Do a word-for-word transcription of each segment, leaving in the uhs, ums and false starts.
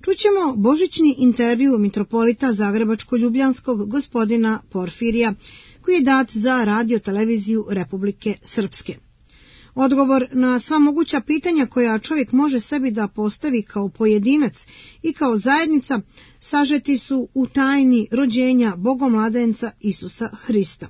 čućemo božićni intervju mitropolita Zagrebačko-Ljubljanskog gospodina Porfirija, koji je dat za radio televiziju Republike Srpske. Odgovor na sva moguća pitanja koja čovjek može sebi da postavi kao pojedinac i kao zajednica sažeti su u tajni rođenja Bogomladenca Isusa Hrista.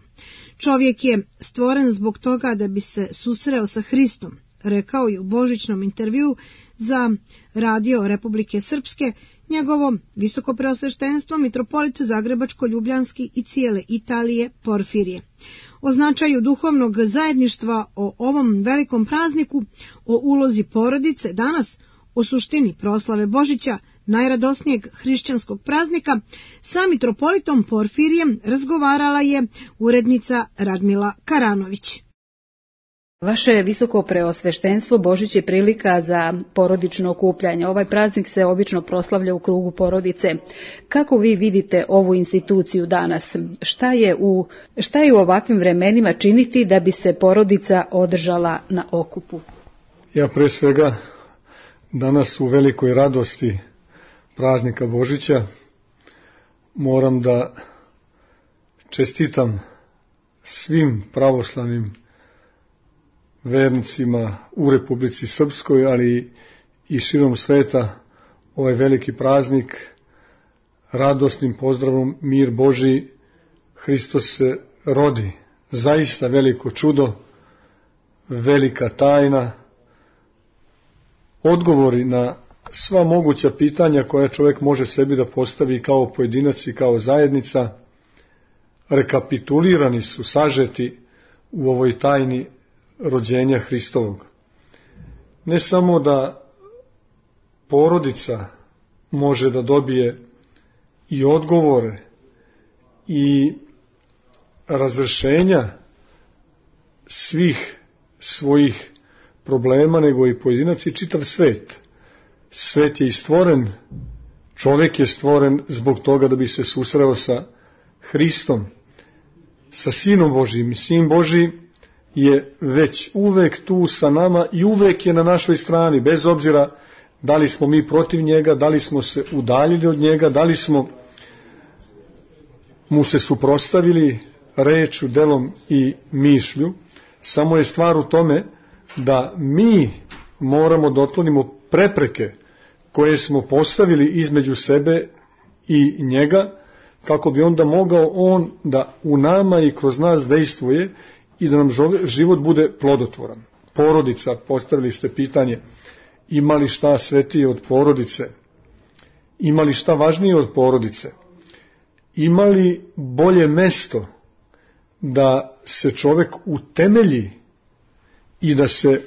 Čovjek je stvoren zbog toga da bi se susreo sa Hristom, rekao je u božićnom intervjuu za radio Republike Srpske njegovo visokopreosveštenstvo mitropolit Zagrebačko-Ljubljanski i cijele Italije Porfirije. O značaju duhovnog zajedništva, o ovom velikom prazniku, o ulozi porodice danas, o suštini proslave Božića, najradosnijeg hrišćanskog praznika, sa mitropolitom Porfirijem razgovarala je urednica Radmila Karanović. Vaše visoko preosveštenstvo, Božić je prilika za porodično okupljanje. Ovaj praznik se obično proslavlja u krugu porodice. Kako vi vidite ovu instituciju danas? Šta je u, šta je u ovakvim vremenima činiti da bi se porodica održala na okupu? Ja pre svega danas u velikoj radosti praznika Božića moram da čestitam svim pravoslavnim vernicima u Republici Srpskoj, ali i širom sveta ovaj veliki praznik radosnim pozdravom mir Božji, Hristos se rodi. Zaista veliko čudo, velika tajna, odgovori na sva moguća pitanja koja čovjek može sebi da postavi kao pojedinac i kao zajednica, rekapitulirani su, sažeti u ovoj tajni rođenja Hristovog. Ne samo da porodica može da dobije i odgovore i razrešenja svih svojih problema, nego i pojedinac i čitav svet. Svet je i stvoren, čovjek je stvoren zbog toga da bi se susreo sa Hristom, sa Sinom Božijim. Sin Božiji je već uvek tu sa nama i uvek je na našoj strani, bez obzira da li smo mi protiv njega, da li smo se udaljili od njega, da li smo mu se suprotstavili rečju, delom i mišlju. Samo je stvar u tome da mi moramo da otklonimo prepreke koje smo postavili između sebe i njega, kako bi onda mogao on da u nama i kroz nas dejstvuje i da nam život bude plodotvoran. Porodica, postavili ste pitanje, ima li šta svetije od porodice? Ima li šta važnije od porodice? Ima li bolje mesto da se čovjek utemelji i da se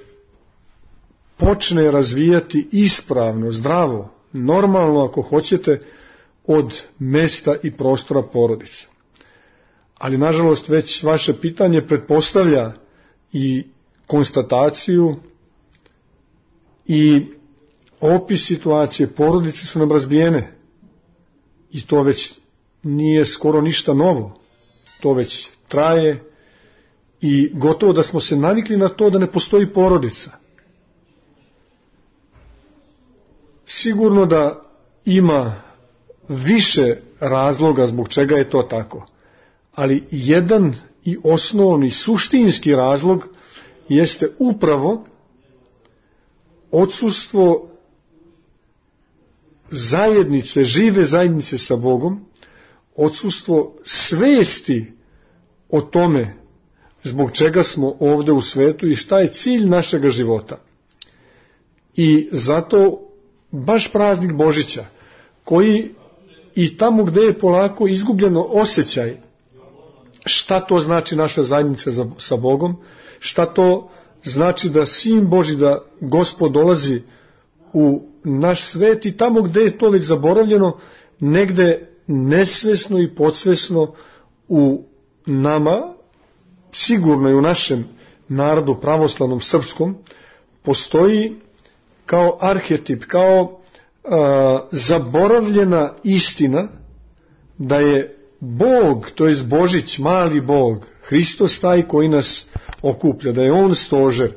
počne razvijati ispravno, zdravo, normalno ako hoćete, od mesta i prostora porodice? Ali nažalost već vaše pitanje pretpostavlja i konstataciju i opis situacije. Porodice su nam razbijene i to već nije skoro ništa novo, to već traje i gotovo da smo se navikli na to da ne postoji porodica. Sigurno da ima više razloga zbog čega je to tako, ali jedan i osnovni suštinski razlog jeste upravo odsustvo zajednice, žive zajednice sa Bogom, odsustvo svesti o tome zbog čega smo ovde u svetu i šta je cilj našega života. I zato baš praznik Božića, koji i tamo gde je polako izgubljeno osjećaj šta to znači naša zajednica sa Bogom, šta to znači da Sin Božji, da Gospod dolazi u naš svet i tamo gde je to već zaboravljeno, negde nesvesno i podsvesno u nama, sigurno i u našem narodu pravoslavnom srpskom, postoji kao arhetip, kao a, zaboravljena istina da je Bog, to jest Božić, mali Bog, Hristos taj koji nas okuplja, da je On stožer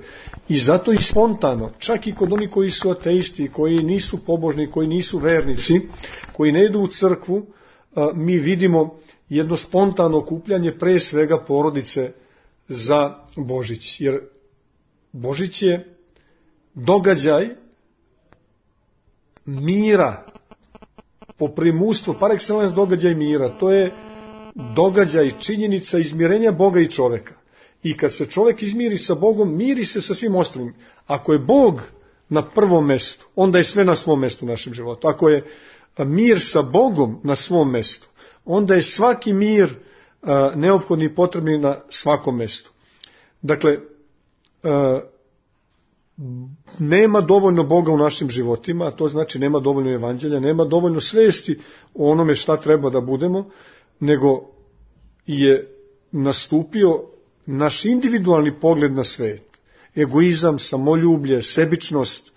I zato i spontano, čak i kod onih koji su ateisti, koji nisu pobožni, koji nisu vernici, koji ne idu u crkvu, mi vidimo jedno spontano okupljanje pre svega porodice za Božić. Jer Božić je događaj mira, po primustvu, par excellence događaj mira. To je događaj, činjenica izmirenja Boga i čoveka. I kad se čovek izmiri sa Bogom, miri se sa svim ostalim. Ako je Bog na prvom mestu, onda je sve na svom mestu u našem životu. Ako je mir sa Bogom na svom mestu, onda je svaki mir a, neophodni i potrebni na svakom mestu. Dakle, a, nema dovoljno Boga u našim životima, a to znači nema dovoljno evanđelja, nema dovoljno svesti o onome šta treba da budemo, nego je nastupio naš individualni pogled na svet. Egoizam, samoljublje, sebičnost,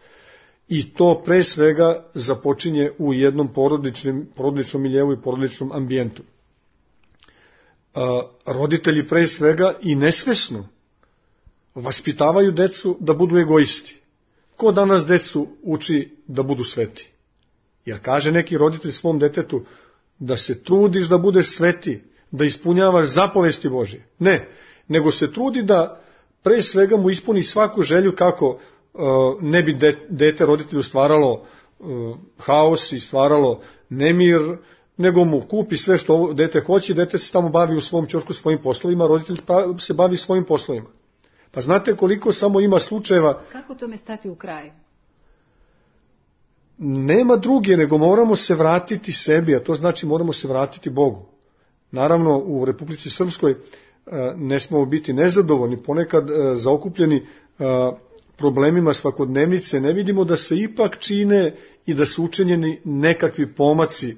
i to pre svega započinje u jednom porodičnom, porodičnom miljevu i porodičnom ambijentu. A, roditelji pre svega i nesvesno vaspitavaju decu da budu egoisti. Ko danas decu uči da budu sveti? Jer kaže neki roditelj svom detetu da se trudiš da budeš sveti, da ispunjavaš zapovesti Božje. Ne, nego se trudi da pre svega mu ispuni svaku želju kako uh, ne bi de, dete roditelju stvaralo uh, haos i stvaralo nemir, nego mu kupi sve što dete hoće, dete se tamo bavi u svom ćošku svojim poslovima, roditelj se bavi svojim poslovima. Pa znate koliko samo ima slučajeva... Kako tome stati u kraj? Nema druge, nego moramo se vratiti sebi, a to znači moramo se vratiti Bogu. Naravno, u Republici Srpskoj ne smemo biti nezadovoljni, ponekad zaokupljeni problemima svakodnevnice, ne vidimo da se ipak čine i da su učinjeni nekakvi pomaci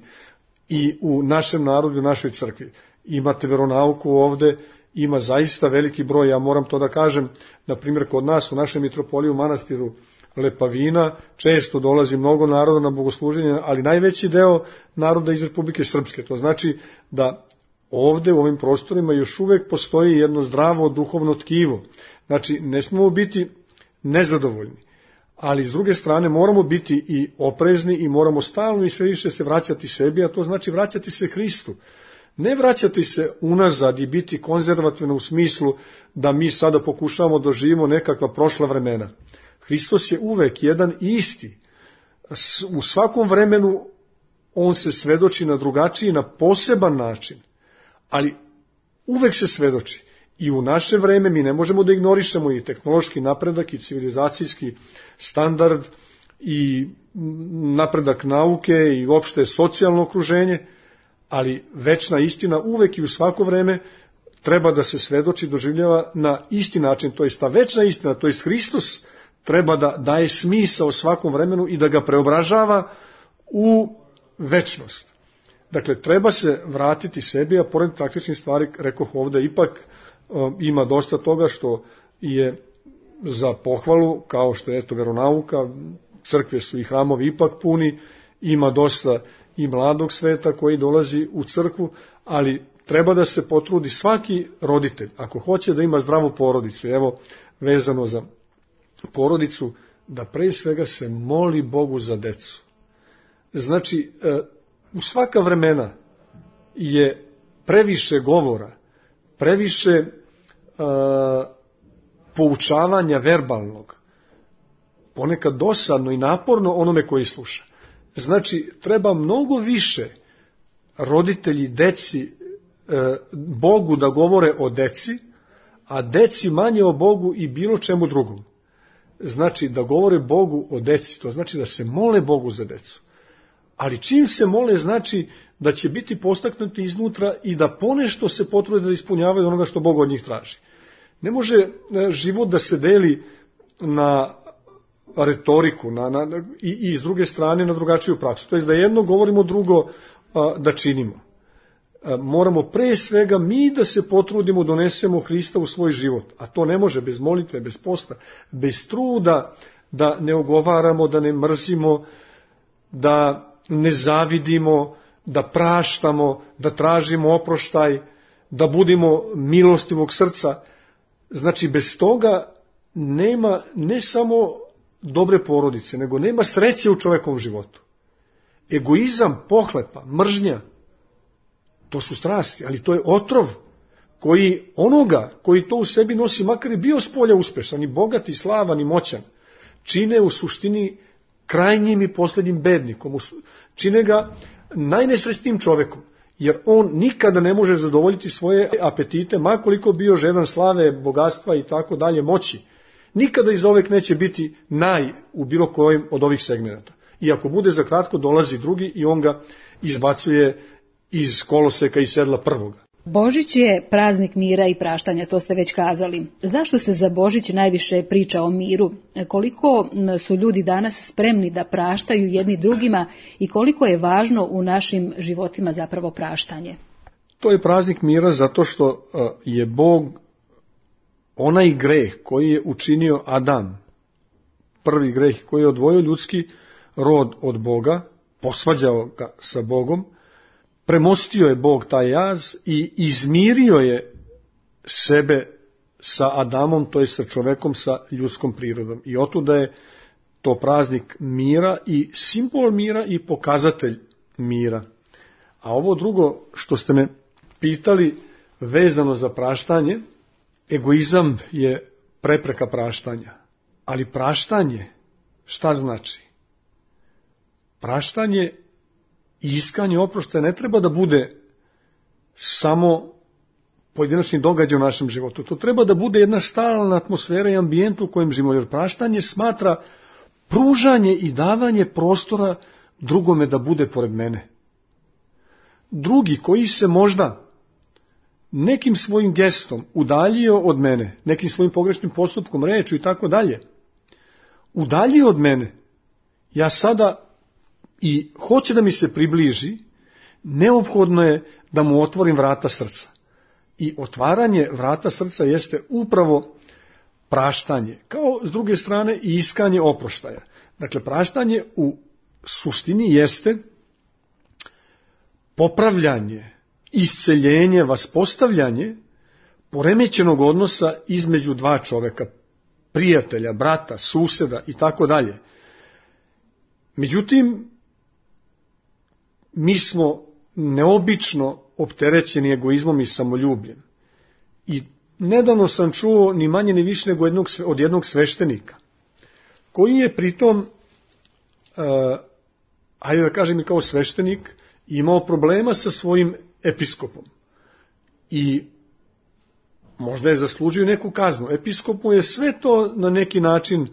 i u našem narodu, u našoj crkvi. Imate veronauku ovde, ima zaista veliki broj, ja moram to da kažem, na primjer kod nas u našem mitropoliju u manastiru Lepavina često dolazi mnogo naroda na bogosluženje, ali najveći deo naroda iz Republike Srpske. To znači da ovde u ovim prostorima još uvek postoji jedno zdravo duhovno tkivo. Znači, ne smemo biti nezadovoljni, ali s druge strane moramo biti i oprezni i moramo stalno i sve više se vraćati sebi, a to znači vraćati se Hristu. Ne vraćati se unazad i biti konzervativno u smislu da mi sada pokušavamo da živimo nekakva prošla vremena. Hristos je uvek jedan i isti. U svakom vremenu on se svedoči na drugačiji, na poseban način, ali uvek se svedoči. I u naše vreme mi ne možemo da ignorišemo i tehnološki napredak i civilizacijski standard i napredak nauke i uopšte socijalno okruženje, ali večna istina uvek i u svako vreme treba da se svedoči, doživljava na isti način, to jest ta večna istina, to jest Hristos treba da daje smisao svakom vremenu i da ga preobražava u večnost. Dakle, treba se vratiti sebi, a pored praktičnih stvari, rekoh ovde, ipak um, ima dosta toga što je za pohvalu, kao što je eto veronauka, crkve su i hramovi ipak puni, ima dosta i mladog sveta koji dolazi u crkvu, ali treba da se potrudi svaki roditelj, ako hoće da ima zdravu porodicu, evo vezano za porodicu, da pre svega se moli Bogu za decu. Znači, u svaka vremena je previše govora, previše uh, poučavanja verbalnog, ponekad dosadno i naporno onome koji sluša. Znači, treba mnogo više roditelji deci, uh, Bogu da govore o deci, a deci manje o Bogu i bilo čemu drugom. Znači, da govore Bogu o deci, to znači da se mole Bogu za decu. Ali čim se mole, znači da će biti postaknuti iznutra i da ponešto se potrude da ispunjavaju onoga što Bog od njih traži. Ne može život da se deli na retoriku na, na, i, i s druge strane na drugačiju praksu. To je da jedno govorimo, drugo a, da činimo. A, moramo pre svega mi da se potrudimo, donesemo Hrista u svoj život. A to ne može bez molitve, bez posta, bez truda da ne ogovaramo, da ne mrzimo, da ne zavidimo, da praštamo, da tražimo oproštaj, da budemo milostivog srca. Znači, bez toga nema ne samo dobre porodice, nego nema sreće u čovekovom životu. Egoizam, pohlepa, mržnja, to su strasti, ali to je otrov koji onoga koji to u sebi nosi, makar je bio spolja uspešan, i bogat, i slavan, i moćan, čine u suštini krajnjim i posljednjim bednikom, čine ga najnesrećnijim čovekom, jer on nikada ne može zadovoljiti svoje apetite, makoliko bio žedan slave, bogatstva i tako dalje, moći. Nikada iz ovek neće biti naj u bilo kojem od ovih segmenata. I ako bude za kratko, dolazi drugi i on ga izbacuje iz koloseka i sedla prvoga. Božić je praznik mira i praštanja, to ste već kazali. Zašto se za Božić najviše priča o miru? Koliko su ljudi danas spremni da praštaju jedni drugima i koliko je važno u našim životima zapravo praštanje? To je praznik mira zato što je Bog onaj greh koji je učinio Adam, prvi greh koji je odvojio ljudski rod od Boga, posvađao ga sa Bogom, premostio je Bog taj jaz i izmirio je sebe sa Adamom, to je sa čovekom, sa ljudskom prirodom. I otuda je to praznik mira i simbol mira i pokazatelj mira. A ovo drugo što ste me pitali vezano za praštanje, egoizam je prepreka praštanja. Ali praštanje, šta znači? Praštanje i iskanje oproštaja ne treba da bude samo pojedinačni događaj u našem životu. To treba da bude jedna stalna atmosfera i ambijent u kojem živimo, jer praštanje smatra pružanje i davanje prostora drugome da bude pored mene. Drugi koji se možda nekim svojim gestom udaljio od mene, nekim svojim pogrešnim postupkom, rečju i tako dalje, udaljio od mene, ja sada i hoće da mi se približi, neophodno je da mu otvorim vrata srca. I otvaranje vrata srca jeste upravo praštanje, kao s druge strane i iskanje oproštaja. Dakle, praštanje u suštini jeste popravljanje, isceljenje, vaspostavljanje poremećenog odnosa između dva čoveka, prijatelja, brata, suseda i tako dalje. Međutim, mi smo neobično opterećeni egoizmom i samoljubljem. I nedavno sam čuo ni manje ni više nego jednog, od jednog sveštenika, koji je pritom, uh, ajde da kažem i kao sveštenik, imao problema sa svojim episkopom. I možda je zaslužio neku kaznu. Episkopu je sve to na neki način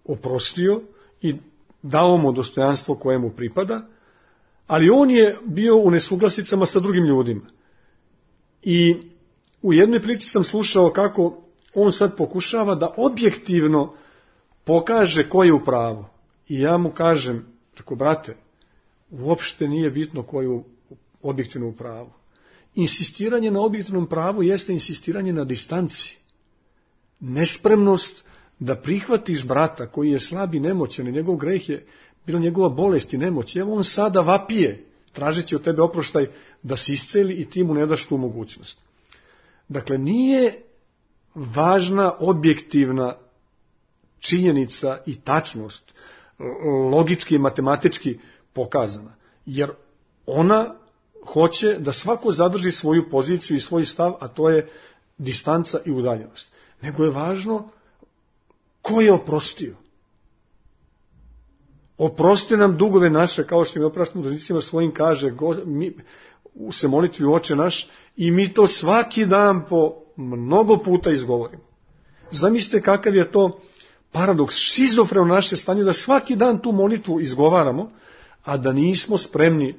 oprostio i dao mu dostojanstvo koje mu pripada, ali on je bio u nesuglasicama sa drugim ljudima. I u jednoj priči sam slušao kako on sad pokušava da objektivno pokaže ko je u pravu. I ja mu kažem, tako brate, uopšte nije bitno ko je objektivno u pravu. Insistiranje na objektivnom pravu jeste insistiranje na distanci. Nespremnost da prihvatiš brata koji je slab i nemoćan i njegov greh je bila njegova bolest i nemoć. Evo on sada vapije, tražeći od tebe oproštaj da se isceli i ti mu ne daš tu mogućnost. Dakle, nije važna objektivna činjenica i tačnost, logički i matematički pokazana, jer ona hoće da svako zadrži svoju poziciju i svoj stav, a to je distanca i udaljenost. Nego je važno ko je oprostio. Oprosti nam dugove naše, kao što mi opraštamo dužnicima svojim, kaže go, mi, se molitvi u Oče naš, i mi to svaki dan po mnogo puta izgovorimo. Zamislite kakav je to paradoks, šizofreno naše stanje, da svaki dan tu molitvu izgovaramo, a da nismo spremni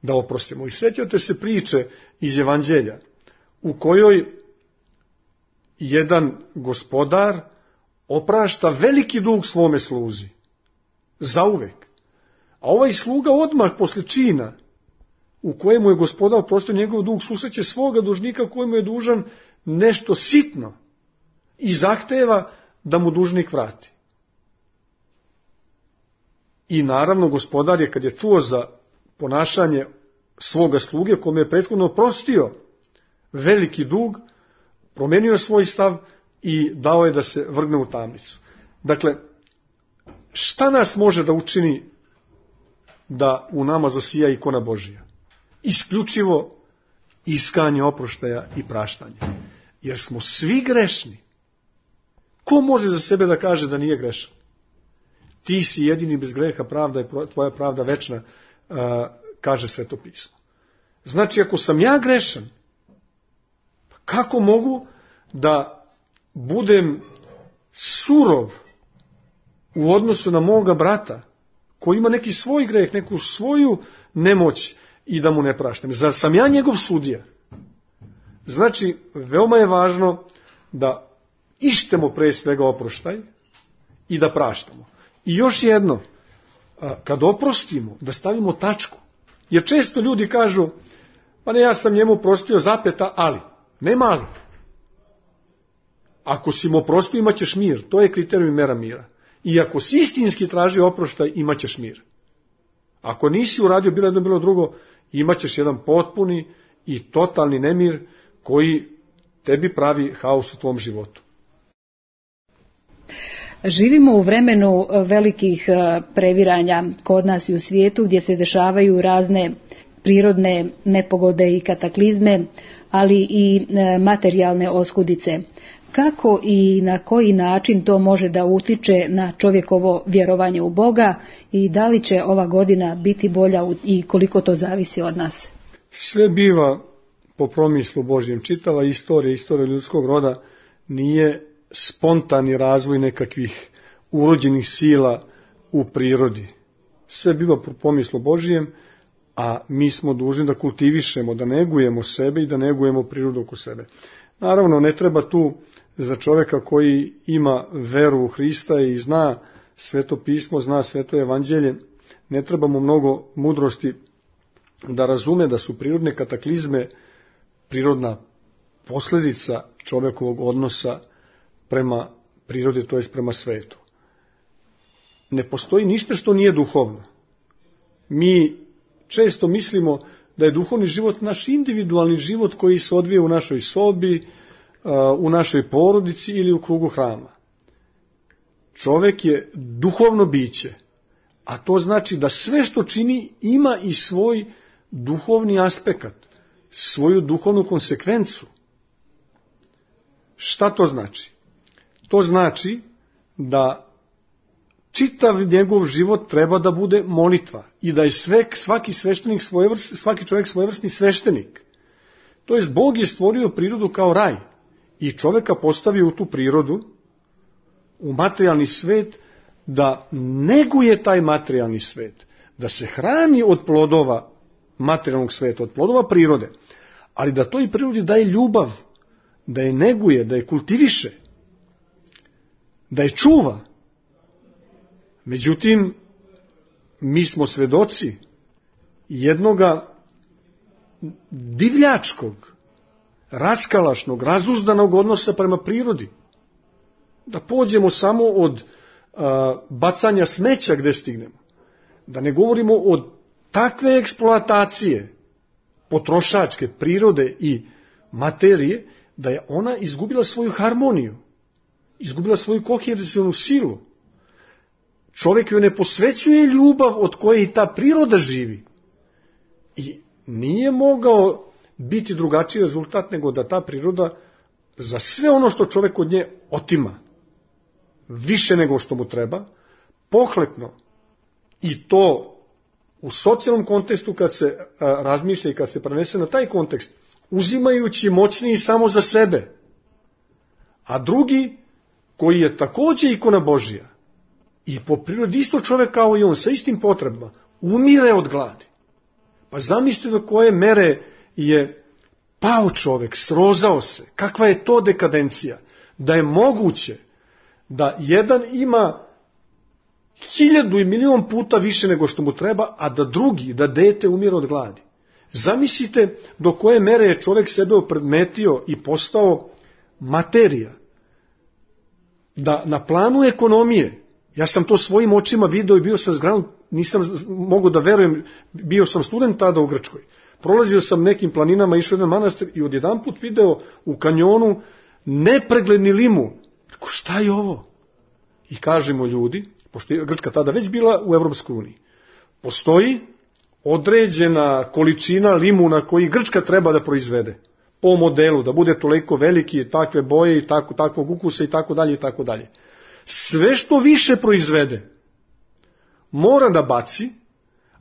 da oprostimo. I sjećate se priče iz Evanđelja, u kojoj jedan gospodar oprašta veliki dug svome sluzi. Zauvek. A ovaj sluga odmah posle čina u kojemu je gospodar oprostio njegov dug, susreće svoga dužnika kojemu je dužan nešto sitno i zahteva da mu dužnik vrati. I naravno gospodar je, kad je čuo za ponašanje svoga sluge kome je prethodno oprostio veliki dug, promenio svoj stav i dao je da se vrgne u tamnicu. Dakle, šta nas može da učini da u nama zasija ikona Božija? Isključivo iskanje oproštaja i praštanja. Jer smo svi grešni. Ko može za sebe da kaže da nije grešan? Ti si jedini bez greha, pravda je tvoja pravda večna, kaže Sveto pismo. Znači, ako sam ja grešan, kako mogu da budem surov u odnosu na moga brata, koji ima neki svoj greh, neku svoju nemoć i da mu ne praštam? Zar sam ja njegov sudija? Znači, veoma je važno da ištemo pre svega oproštaj i da praštamo. I još jedno, kad oprostimo, da stavimo tačku. Jer često ljudi kažu, pa ne, ja sam njemu oprostio zapeta, ali. Nema ali. Ako si mu oprostio, imat ćeš mir. To je kriterijum i mera mira. I ako si istinski traži oproštaj, imat ćeš mir. Ako nisi uradio bilo jedno, bilo drugo, imat ćeš jedan potpuni i totalni nemir koji tebi pravi haos u tvom životu. Živimo u vremenu velikih previranja kod nas i u svijetu, gdje se dešavaju razne prirodne nepogode i kataklizme, ali i materijalne oskudice. Kako i na koji način to može da utiče na čovjekovo vjerovanje u Boga i da li će ova godina biti bolja i koliko to zavisi od nas? Sve biva po promislu Božjem. Čitava istorija, istorija ljudskog roda nije spontani razvoj nekakvih urođenih sila u prirodi. Sve biva po pomislu Božijem, a mi smo dužni da kultivišemo, da negujemo sebe i da negujemo prirodu oko sebe. Naravno, ne treba tu za čovjeka koji ima veru u Hrista i zna Sveto pismo, zna Sveto evanđelje, ne treba mu mnogo mudrosti da razume da su prirodne kataklizme prirodna posljedica čovjekovog odnosa prema prirodi, to jest prema svetu. Ne postoji ništa što nije duhovno. Mi često mislimo da je duhovni život naš individualni život koji se odvija u našoj sobi, u našoj porodici ili u krugu hrama. Čovjek je duhovno biće, a to znači da sve što čini ima i svoj duhovni aspekt, svoju duhovnu konsekvencu. Šta to znači? To znači da čitav njegov život treba da bude molitva i da je sve, svaki sveštenik svojevrs, svaki čovjek svojevrsni sveštenik. To jest, Bog je stvorio prirodu kao raj i čovjeka postavio u tu prirodu, u materijalni svet, da neguje taj materijalni svet, da se hrani od plodova materijalnog sveta, od plodova prirode, ali da toj prirodi daje ljubav, da je neguje, da je kultiviše, da je čuva. Međutim, mi smo svedoci jednoga divljačkog, raskalašnog, razuzdanog odnosa prema prirodi. Da pođemo samo od a, bacanja smeća gde stignemo. Da ne govorimo o takve eksploatacije potrošačke prirode i materije, da je ona izgubila svoju harmoniju, izgubila svoju kohercionu silu. Čovjek joj ne posvećuje ljubav od koje i ta priroda živi. I nije mogao biti drugačiji rezultat nego da ta priroda za sve ono što čovjek od nje otima, više nego što mu treba, pohlepno, i to u socijalnom kontekstu kad se a, razmišlja i kad se prenese na taj kontekst, uzimajući moćniji samo za sebe, a drugi, koji je također ikona Božija, i po prirodi isto čovjek kao i on, sa istim potrebama, umire od gladi. Pa zamislite do koje mere je pao čovjek, srozao se. Kakva je to dekadencija? Da je moguće da jedan ima hiljadu i milion puta više nego što mu treba, a da drugi, da dete umire od gladi. Zamislite do koje mere je čovjek sebe opredmetio i postao materija. Da na planu ekonomije, ja sam to svojim očima video i bio sam zgranut, nisam mogu da verujem, bio sam student tada u Grčkoj. Prolazio sam nekim planinama, išao jedan manastir i odjedanput video u kanjonu nepregledni limun. Rekao, šta je ovo? I kažemo ljudi, pošto je Grčka tada već bila u Evropskoj uniji, postoji određena količina limuna koji Grčka treba da proizvede po modelu, da bude toliko veliki, takve boje i tako, takvog ukusa i tako dalje i tako dalje. Sve što više proizvede mora da baci,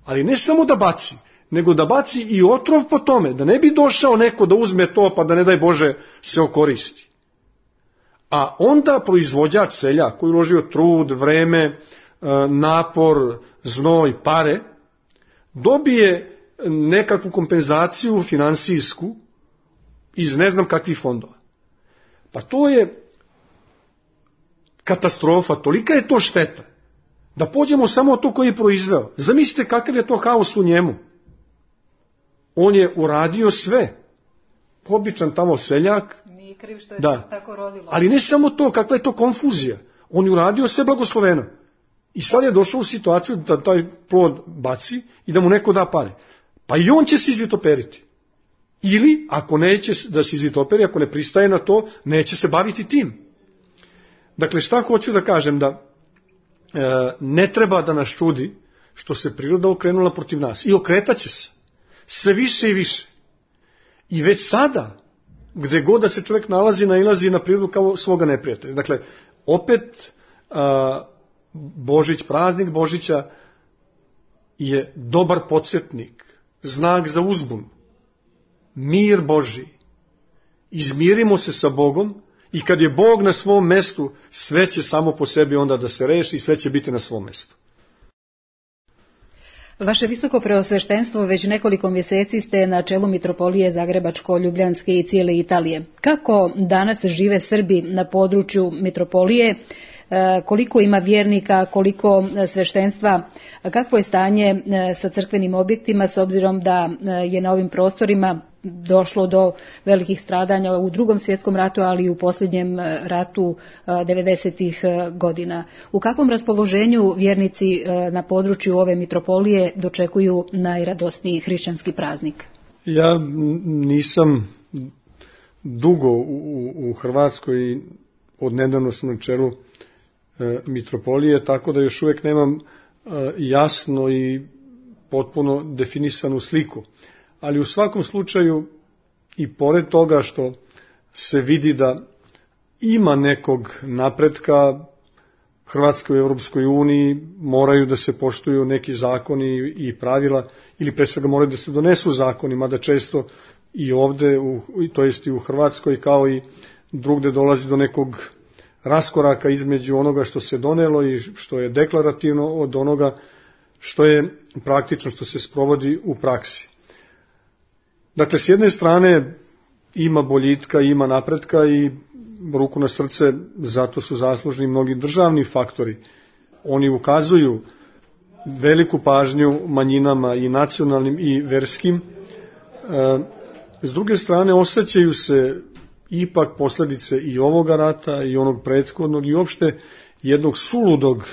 ali ne samo da baci, nego da baci i otrov po tome, da ne bi došao neko da uzme to pa da ne daj Bože se okoristi. A onda proizvođač, seljak koji uložio trud, vreme, napor, znoj, pare, dobije nekakvu kompenzaciju finansijsku iz ne znam kakvih fondova. Pa to je katastrofa, tolika je to šteta, da pođemo samo od to koji je proizveo. Zamislite kakav je to haos u njemu. On je uradio sve. Običan tamo seljak. Nije kriv što je da. Tako rodilo. Ali ne samo to, kakva je to konfuzija. On je uradio sve blagosloveno. I sad je došao u situaciju da taj plod baci i da mu neko da pare. Pa i on će se izvitoperiti. Ili, ako neće da se izvitoperi, ako ne pristaje na to, neće se baviti tim. Dakle, šta hoću da kažem, da e, ne treba da nas čudi što se priroda okrenula protiv nas. I okretaće se. Sve više i više. I već sada, gde god da se čovjek nalazi, nailazi na prirodu kao svoga neprijatelja. Dakle, opet a, Božić, praznik Božića je dobar podsjetnik, znak za uzbun, mir Božji. Izmirimo se sa Bogom i kad je Bog na svom mestu, sve će samo po sebi onda da se reši i sve će biti na svom mestu. Vaše visoko preosveštenstvo, već nekoliko mjeseci ste na čelu mitropolije Zagrebačko-Ljubljanske i cijele Italije. Kako danas žive Srbi na području mitropolije? Koliko ima vjernika, koliko sveštenstva, kakvo je stanje sa crkvenim objektima s obzirom da je na ovim prostorima došlo do velikih stradanja u Drugom svjetskom ratu, ali i u posljednjem ratu devedesetih godina. U kakvom raspoloženju vjernici na području ove mitropolije dočekuju najradosniji hrišćanski praznik? Ja nisam dugo u, u Hrvatskoj, od nedavno sam na čelu mitropolije, tako da još uvijek nemam jasno i potpuno definisanu sliku. Ali u svakom slučaju, i pored toga što se vidi da ima nekog napretka, Hrvatskoj u Europskoj uniji moraju da se poštuju neki zakoni i pravila, ili pre svega moraju da se donesu zakoni, mada često i ovde, u, to jest i u Hrvatskoj, kao i drugde dolazi do nekog raskoraka između onoga što se donelo i što je deklarativno od onoga što je praktično, što se sprovodi u praksi. Dakle, s jedne strane ima boljitka, ima napretka i ruku na srce, zato su zaslužni mnogi državni faktori. Oni ukazuju veliku pažnju manjinama i nacionalnim i verskim. S druge strane, osjećaju se ipak posljedice i ovoga rata i onog prethodnog i uopšte jednog suludog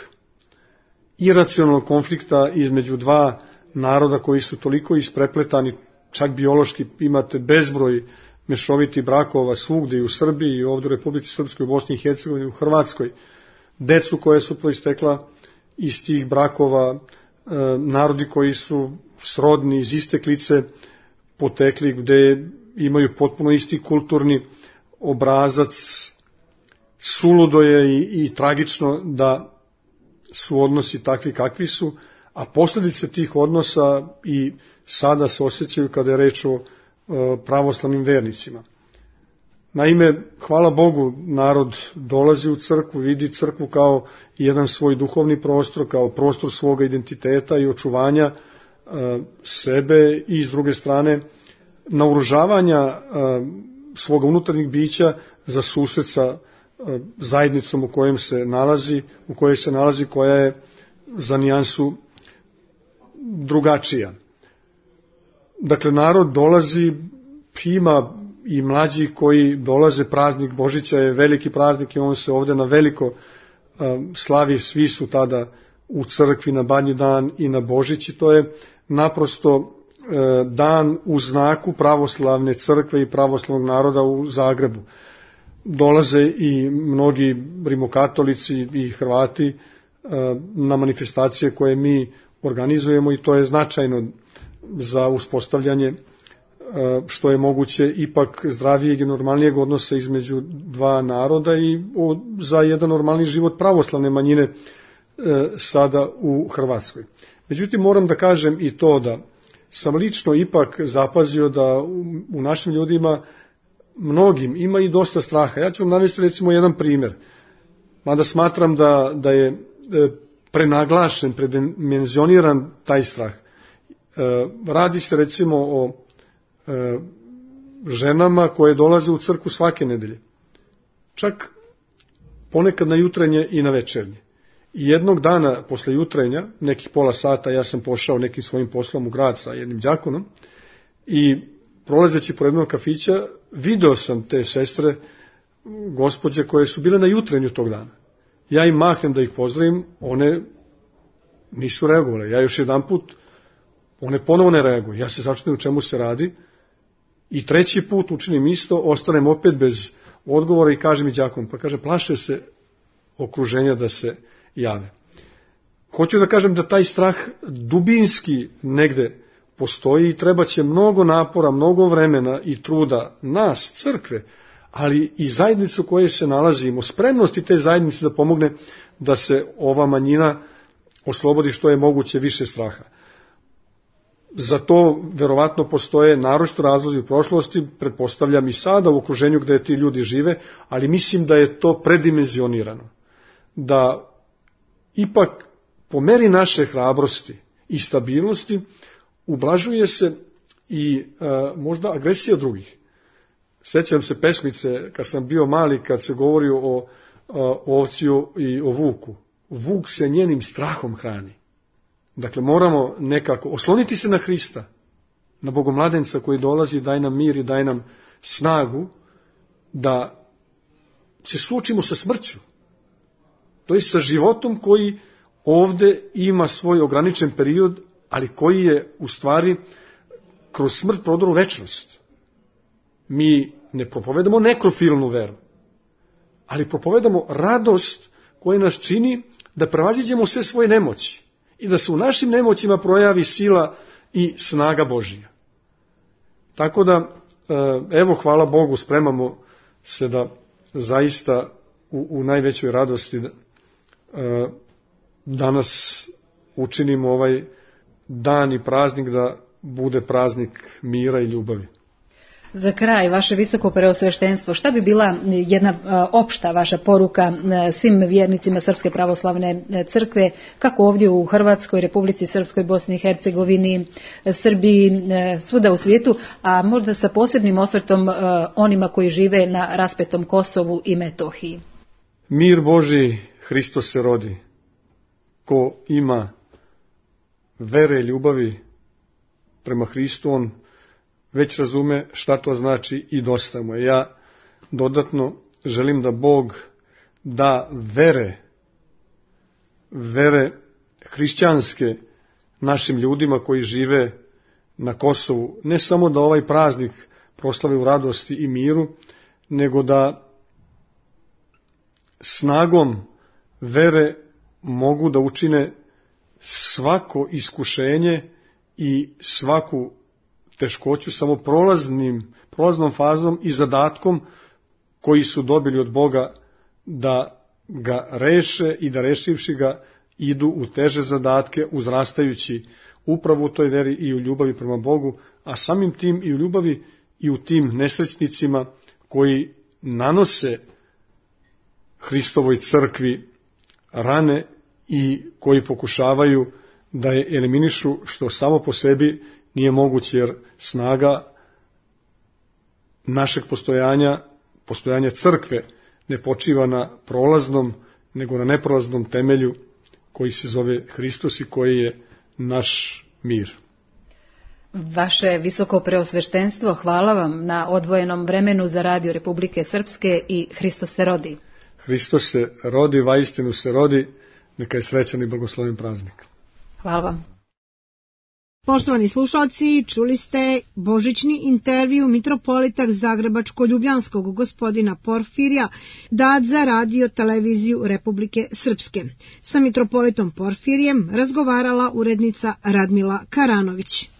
iracionalnog konflikta između dva naroda koji su toliko isprepletani, čak biološki imate bezbroj mešovitih brakova svugdje i u Srbiji i ovdje u Republici Srpskoj, u Bosni i Hercegovini, u Hrvatskoj, decu koje su proistekla iz tih brakova, narodi koji su srodni iz iste klice potekli, gde imaju potpuno isti kulturni obrazac. Suludo je i, i tragično da su odnosi takvi kakvi su, a posljedice tih odnosa i sada se osjećaju kada je reč o pravoslavnim vernicima. Naime, hvala Bogu, narod dolazi u crkvu, vidi crkvu kao jedan svoj duhovni prostor, kao prostor svoga identiteta i očuvanja sebe i s druge strane naoružavanja svoga unutarnjeg bića za susret sa zajednicom u kojem se nalazi, u kojoj se nalazi, koja je za nijansu drugačija. Dakle, narod dolazi, ima i mlađi koji dolaze, praznik Božića je veliki praznik i on se ovdje na veliko slavi, svi su tada u crkvi na Badnji dan i na Božić i to je naprosto dan u znaku pravoslavne crkve i pravoslavnog naroda u Zagrebu. dolaze i mnogi rimokatolici i Hrvati na manifestacije koje mi organizujemo i to je značajno za uspostavljanje što je moguće ipak zdravijeg i normalnijeg odnosa između dva naroda i za jedan normalni život pravoslavne manjine sada u Hrvatskoj. Međutim, moram da kažem i to da sam lično ipak zapazio da u našim ljudima mnogim ima i dosta straha. Ja ću vam navesti recimo jedan primjer, mada smatram da, da je prenaglašen, predimenzioniran taj strah. Radi se recimo o ženama koje dolaze u crkvu svake nedelje, čak ponekad na jutrenje i na večernje. I jednog dana posle jutrenja, nekih pola sata, ja sam pošao nekim svojim poslom u grad sa jednim đakonom i prolazeći pored jednog kafića video sam te sestre, gospođe koje su bile na jutrenju tog dana. Ja im mahnem da ih pozdravim, one nisu reagovale. Ja još jedan put, one ponovo ne reaguju. Ja se začudim u čemu se radi i treći put učinim isto, ostanem opet bez odgovora i kažem i đakom, pa kaže, plaše se okruženja da se jave. Hoću da kažem da taj strah dubinski negde postoji i treba će mnogo napora, mnogo vremena i truda nas, crkve, ali i zajednicu koje se nalazimo, spremnosti te zajednice da pomogne da se ova manjina oslobodi što je moguće više straha. Za to verovatno postoje naročito razlozi u prošlosti, pretpostavljam i sada u okruženju gde ti ljudi žive, ali mislim da je to predimenzionirano. Da ipak po meri naše hrabrosti i stabilnosti ublažuje se i a, možda agresija drugih. Sećam se pesmice kad sam bio mali, kad se govori o, a, o ovciju i o vuku. Vuk se njenim strahom hrani. Dakle, moramo nekako osloniti se na Hrista, na Bogomladenca koji dolazi, daj nam mir i daj nam snagu da se suočimo sa smrću. To je sa životom koji ovde ima svoj ograničen period, ali koji je u stvari kroz smrt prodor u večnost. Mi ne propovedamo nekrofilnu veru, ali propovedamo radost koja nas čini da prevaziđemo sve svoje nemoći i da se u našim nemoćima projavi sila i snaga Božija. Tako da, evo, hvala Bogu, spremamo se da zaista u, u najvećoj radosti da, danas učinimo ovaj dan i praznik da bude praznik mira i ljubavi. Za kraj, vaše visoko preosveštenstvo, šta bi bila jedna opšta vaša poruka svim vjernicima Srpske pravoslavne crkve, kako ovdje u Hrvatskoj, Republici Srpskoj, Bosni i Hercegovini, Srbiji, svuda u svijetu, a možda sa posebnim osvrtom onima koji žive na raspetom Kosovu i Metohiji? Mir Božji, Hristos se rodi. Ko ima vere i ljubavi prema Hristu, on već razume šta to znači i dosta mu je. Ja dodatno želim da Bog da vere, vere hrišćanske našim ljudima koji žive na Kosovu, ne samo da ovaj praznik proslave u radosti i miru, nego da snagom vere mogu da učine svako iskušenje i svaku teškoću samo prolaznim, prolaznom fazom i zadatkom koji su dobili od Boga da ga reše i da rešivši ga idu u teže zadatke, uzrastajući upravo u toj veri i u ljubavi prema Bogu, a samim tim i u ljubavi i u tim nesrećnicima koji nanose Hristovoj crkvi rane i koji pokušavaju da je eliminišu, što samo po sebi nije moguće, jer snaga našeg postojanja, postojanja crkve, ne počiva na prolaznom, nego na neprolaznom temelju koji se zove Hristos i koji je naš mir. Vaše visoko preosveštenstvo, hvala vam na odvojenom vremenu za Radio Republike Srpske i Hristos se rodi. Hristos se rodi, vaistinu se rodi, neka je srećan i blagosloven praznik. Hvala vam. Poštovani slušalci, čuli ste božićni intervju mitropolita Zagrebačko-ljubljanskog gospodina Porfirija, dat za radio televiziju Republike Srpske. Sa mitropolitom Porfirijem razgovarala urednica Radmila Karanović.